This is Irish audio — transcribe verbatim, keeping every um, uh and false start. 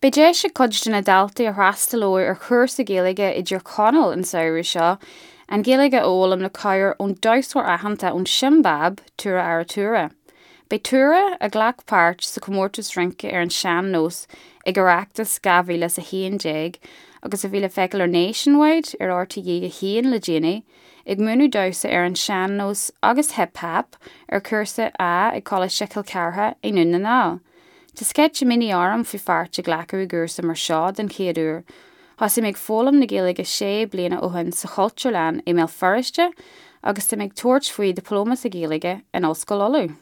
Beidh deis ag cuid de na daltaí a fhreastalóidh ar chúrsa Gaeilge i dTír Chonaill an samhradh seo an Ghaeilge a fhoghlaim le cabhair ón damhsóir aitheanta ón Siombáib Tura Aratura. Beidh Tura a ghlac páirt sa chomórtas rince ar an sean-nós ag Oireachtas dhá mhíle a haon déag agus a bhí le feiceáil ar Nationwide ar RTÉ a haon le déanaí, ag múineadh damhsa ar an sean-nós agus hip-hop ar chúrsa A ag Coláiste Chill Chartha i nDún na nGall. Tá sceitimíní orm faoi pháirt a ghlacadh i gcúrsa mar seo den chéad uair. Thosaigh mé ag foghlaim na Gaeilge sé bliana ó shin sa Chultúrlann i mBéal Feirste agus tá mé ag tabhairt faoi dioplóma sa Ghaeilge in Ollscoil Uladh.